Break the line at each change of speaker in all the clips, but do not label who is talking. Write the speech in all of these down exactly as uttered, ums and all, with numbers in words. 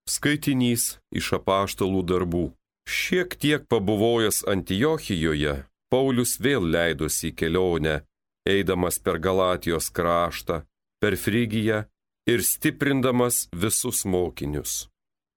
Skaitinys iš apaštalų darbų. Šiek tiek pabuvojęs Antiochijoje, Paulius vėl leidosi į kelionę, eidamas per Galatijos kraštą, per Frigiją ir stiprindamas visus mokinius.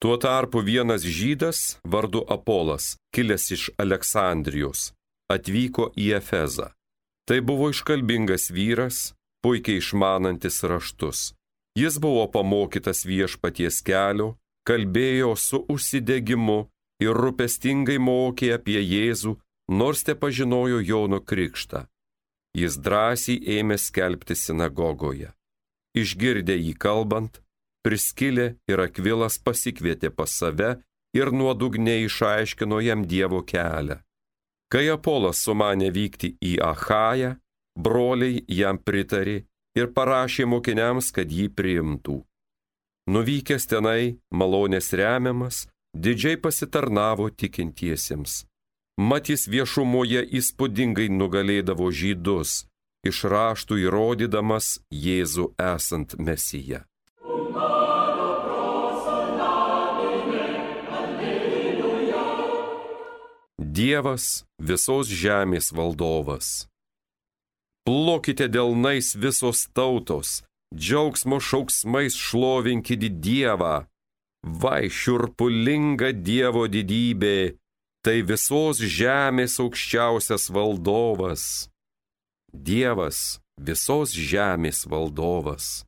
Tuo tarpu vienas žydas vardu Apolas, kilęs iš Aleksandrijos, atvyko į Efezą. Tai buvo iškalbingas vyras, puikiai išmanantis raštus. Jis buvo pamokytas viešpaties kelio, kalbėjo su užsidegimu ir rūpestingai mokė apie Jėzų, nors te pažinojo Jono krikštą. Jis drąsiai ėmė skelbti sinagogoje. Išgirdę jį kalbant, Priskilė ir Akvilas pasikvietė pas save ir nuodugniai išaiškino jam Dievo kelią. Kai Apolas sumanė vykti į Achają, broliai jam pritarė ir parašė mokiniams, kad jį priimtų. Nuvykęs tenai, malonės remiamas, didžiai pasitarnavo tikintiesiems. Mat jis viešumoje įspūdingai nugalėdavo žydus, iš raštų įrodydamas Jėzų esant Mesiją. Dievas visos žemės valdovas. Plokite delnais visos tautos, džiaugsmo šauksmais šlovinkite Dievą. Vai šiurpulinga Dievo didybė, tai visos žemės aukščiausias valdovas. Dievas visos žemės valdovas.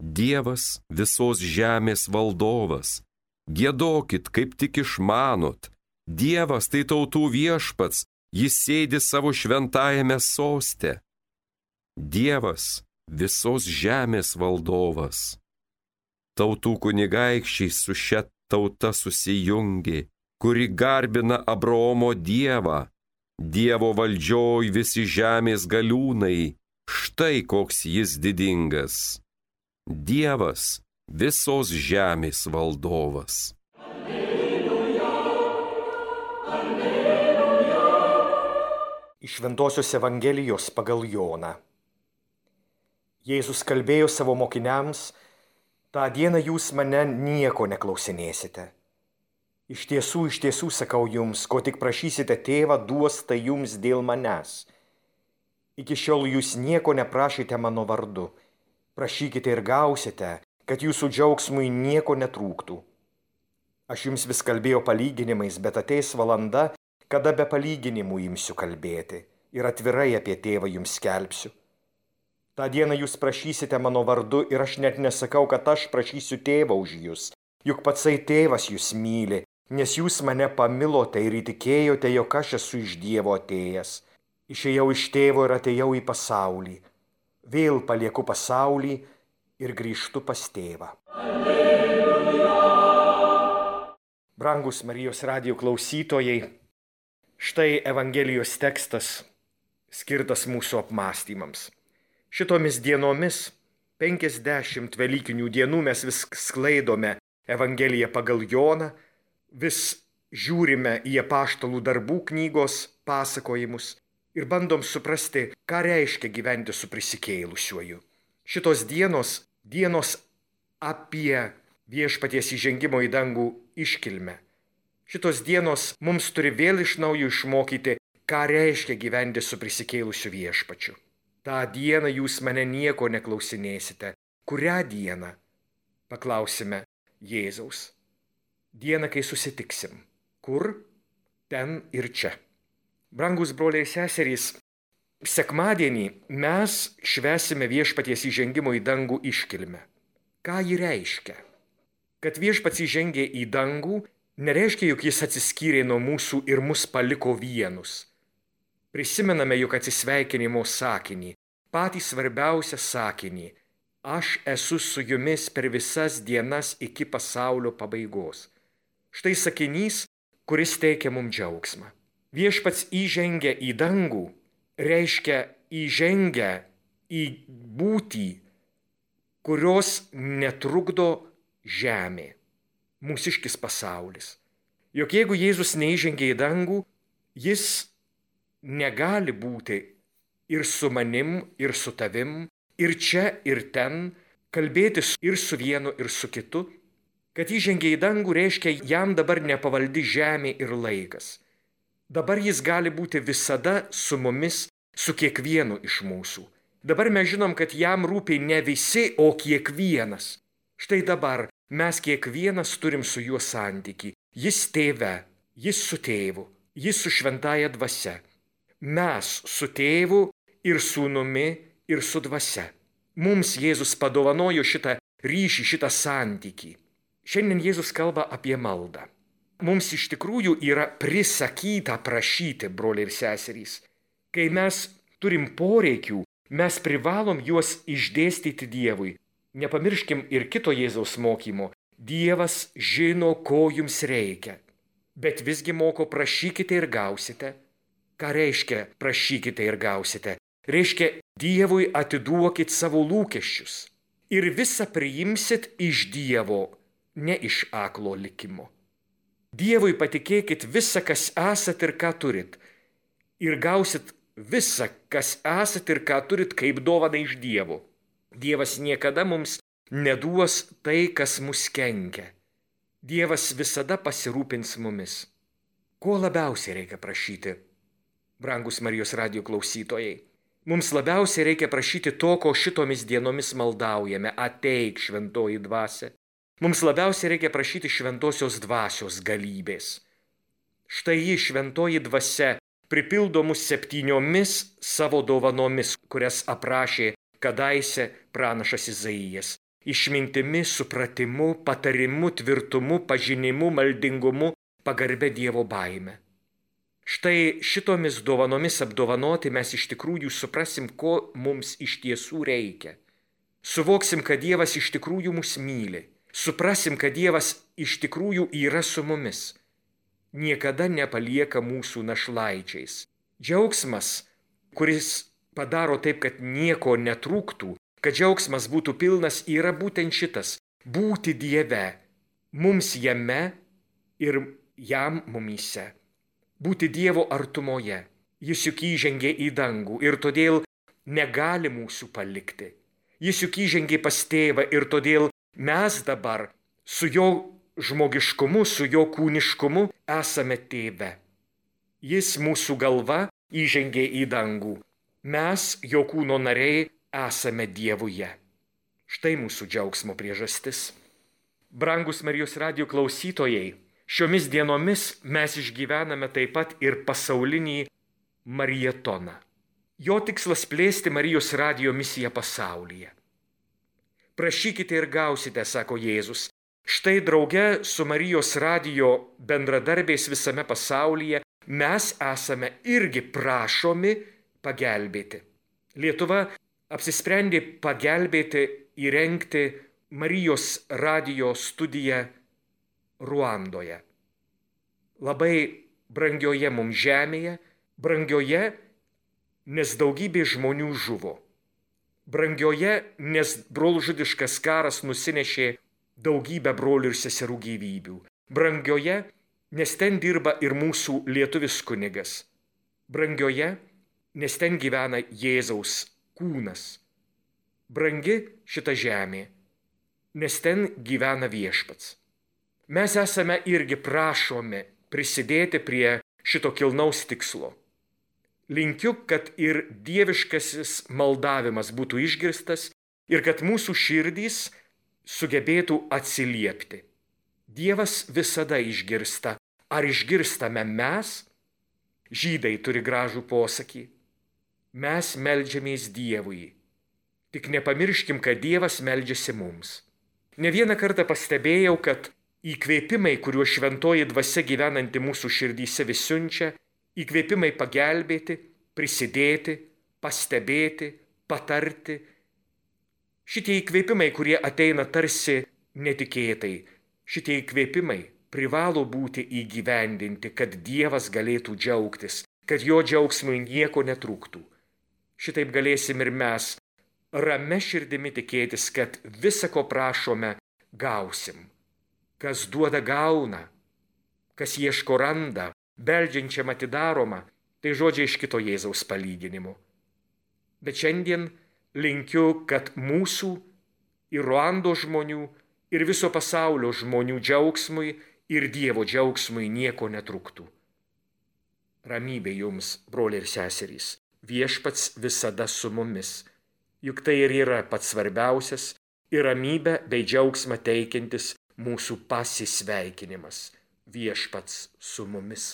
Dievas visos žemės valdovas. Giedokit, kaip tik išmanot. Dievas tai tautų viešpats, jis sėdi savo šventajame soste. Dievas visos žemės valdovas. Tautų kunigaikščiai su šia tauta susijungė, kuri garbina Abraomo Dievą. Dievo valdžioj visi žemės galiūnai, štai koks jis didingas. Dievas visos žemės valdovas.
Iš Šventosios Evangelijos pagal Joną. Jėzus kalbėjo savo mokiniams: tą dieną jūs mane nieko neklausinėsite. Iš tiesų, iš tiesų sakau jums, ko tik prašysite tėvą, duos tai jums dėl manęs. Iki šiol jūs nieko neprašėte mano vardu. Prašykite ir gausite, kad jūsų džiaugsmui nieko netrūktų. Aš jums vis kalbėjau palyginimais, bet ateis valanda, kada be palyginimų imsiu kalbėti ir atvirai apie tėvą jums skelbsiu. Ta dieną jūs prašysite mano vardu ir aš net nesakau, kad aš prašysiu tėvą už jūs, juk patsai tėvas jūs myli, nes jūs mane pamilote ir įtikėjote, jog aš esu iš Dievo atėjęs. Išėjau iš tėvo ir atėjau į pasaulį. Vėl palieku pasaulį ir grįžtu pas tėvą. Alleluja! Brangus Marijos radijo klausytojai, štai Evangelijos tekstas skirtas mūsų apmąstymams. Šitomis dienomis, penkiasdešimt velykinių dienų, mes vis sklaidome Evangeliją pagal Joną, vis žiūrime į apaštalų darbų knygos pasakojimus ir bandom suprasti, ką reiškia gyventi su prisikėlusiuoju. Šitos dienos, dienos apie viešpaties įžengimo į dangų iškilmę. Šitos dienos mums turi vėl iš naujo išmokyti, ką reiškia gyventi su prisikėlusiu viešpačiu. Ta dieną jūs mane nieko neklausinėsite. Kurią dieną? Paklausime Jėzaus. Dieną, kai susitiksim. Kur? Ten ir čia. Brangus broliai ir seserys, sekmadienį mes švęsime viešpaties įžengimo į dangų iškilmę. Ką ji reiškia? Kad viešpats įžengė į dangų, nereiškia, jog jis atsiskyrė nuo mūsų ir mus paliko vienus. Prisimename juk atsisveikinimo sakinį, patį svarbiausią sakinį: aš esu su jumis per visas dienas iki pasaulio pabaigos. Štai sakinys, kuris teikia mums džiaugsmą. Viešpats įžengia į dangų, reiškia įžengia į būtį, kurios netrukdo žemė, mūsiškis pasaulis. Juk jeigu Jėzus neįžengia į dangų, jis negali būti ir su manim, ir su tavim, ir čia, ir ten, kalbėtis ir su vienu, ir su kitu. Kad įžengė į dangų reiškia, jam dabar nepavaldi žemė ir laikas. Dabar jis gali būti visada su mumis, su kiekvienu iš mūsų. Dabar mes žinom, kad jam rūpi ne visi, o kiekvienas. Štai dabar mes kiekvienas turim su juo santykį. Jis tėve, jis su tėvu, jis su šventaja dvasia. Mes su tėvu ir sūnumi ir su dvasia. Mums Jėzus padovanojo šitą ryšį, šitą santykį. Šiandien Jėzus kalba apie maldą. Mums iš tikrųjų yra prisakyta prašyti, broliai ir seserys. Kai mes turim poreikių, mes privalom juos išdėstyti Dievui. Nepamirškim ir kito Jėzaus mokymo. Dievas žino, ko jums reikia. Bet visgi moko prašykite ir gausite. Ką reiškia prašykite ir gausite? Reiškia, Dievui atiduokit savo lūkesčius. Ir visą priimsit iš Dievo, ne iš aklo likimo. Dievui patikėkit visą, kas esat ir ką turit. Ir gausit visą, kas esat ir ką turit, kaip dovaną iš Dievo. Dievas niekada mums neduos tai, kas mus kenkia. Dievas visada pasirūpins mumis. Ko labiausiai reikia prašyti? Brangus Marijos radijo klausytojai, mums labiausiai reikia prašyti to, ko šitomis dienomis maldaujame. Ateik, šventoji dvasia. Mums labiausiai reikia prašyti šventosios dvasios galybės. Štai ji, šventoji dvasia, pripildo mus septyniomis savo dovanomis, kurias aprašė kadaise pranašas Izaijas. Išmintimi, supratimu, patarimu, tvirtumu, pažinimu, maldingumu, pagarbia Dievo baime. Štai šitomis dovanomis apdovanoti mes iš tikrųjų suprasim, ko mums iš tiesų reikia. Suvoksim, kad Dievas iš tikrųjų mus myli. Suprasim, kad Dievas iš tikrųjų yra su mumis. Niekada nepalieka mūsų našlaičiais. Džiaugsmas, kuris padaro taip, kad nieko netrūktų, kad džiaugsmas būtų pilnas, yra būtent šitas – būti Dieve, mums jame ir jam mumyse. Būti Dievo artumoje. Jis juk įžengė į dangų ir todėl negali mūsų palikti. Jis juk įžengė pas tėvą ir todėl mes dabar su jo žmogiškumu, su jo kūniškumu esame tėve. Jis mūsų galva įžengė į dangų. Mes, jo kūno nariai, esame Dievuje. Štai mūsų džiaugsmo priežastis. Brangus Marijos radijo klausytojai, šiomis dienomis mes išgyvename taip pat ir pasaulinį marietoną. Jo tikslas plėsti Marijos radijo misiją pasaulyje. Prašykite ir gausite, sako Jėzus. Štai drauge su Marijos radijo bendradarbiais visame pasaulyje mes esame irgi prašomi pagelbėti. Lietuva apsisprendė pagelbėti įrengti Marijos radijo studiją Ruandoje. Labai brangioje mums žemėje, brangioje, nes daugybė žmonių žuvo. Brangioje, nes brolžudiškas karas nusinešė daugybę brolių ir seserų gyvybių. Brangioje, nes ten dirba ir mūsų lietuvis kunigas. Brangioje, nes ten gyvena Jėzaus kūnas. Brangi šita žemė, nes ten gyvena Viešpats. Mes esame irgi prašomi prisidėti prie šito kilnaus tikslo. Linkiu, kad ir dieviškasis maldavimas būtų išgirstas ir kad mūsų širdys sugebėtų atsiliepti. Dievas visada išgirsta. Ar išgirstame mes? Žydai turi gražų posakį. Mes meldžiamės Dievui. Tik nepamirškim, kad Dievas meldžiasi mums. Ne vieną kartą pastebėjau, kad įkvėpimai, kuriuo šventoji dvasia gyvenanti mūsų širdyse vis siunčia, įkvėpimai pagelbėti, prisidėti, pastebėti, patarti. Šitie įkvėpimai, kurie ateina tarsi netikėtai, šitie įkvėpimai privalo būti įgyvendinti, kad Dievas galėtų džiaugtis, kad jo džiaugsmui nieko netrūktų. Šitaip galėsim ir mes ramia širdimi tikėtis, kad visą, ko prašome, gausim. Kas duoda, gauna, kas ieško randa, beldžiančiam atidaroma, tai žodžiai iš kito Jėzaus palyginimo. Bet šiandien linkiu, kad mūsų ir Ruandos žmonių, ir viso pasaulio žmonių džiaugsmui ir Dievo džiaugsmui nieko netruktų. Ramybė jums, broliai ir seserys, Viešpats visada su mumis, juk tai ir yra pats svarbiausias ir ramybę bei džiaugsmą teikiantis mūsų pasisveikinimas. Viešpats su mumis.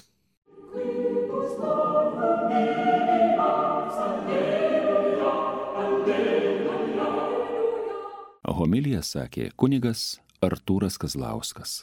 Homiliją sakė kunigas Artūras Kazlauskas.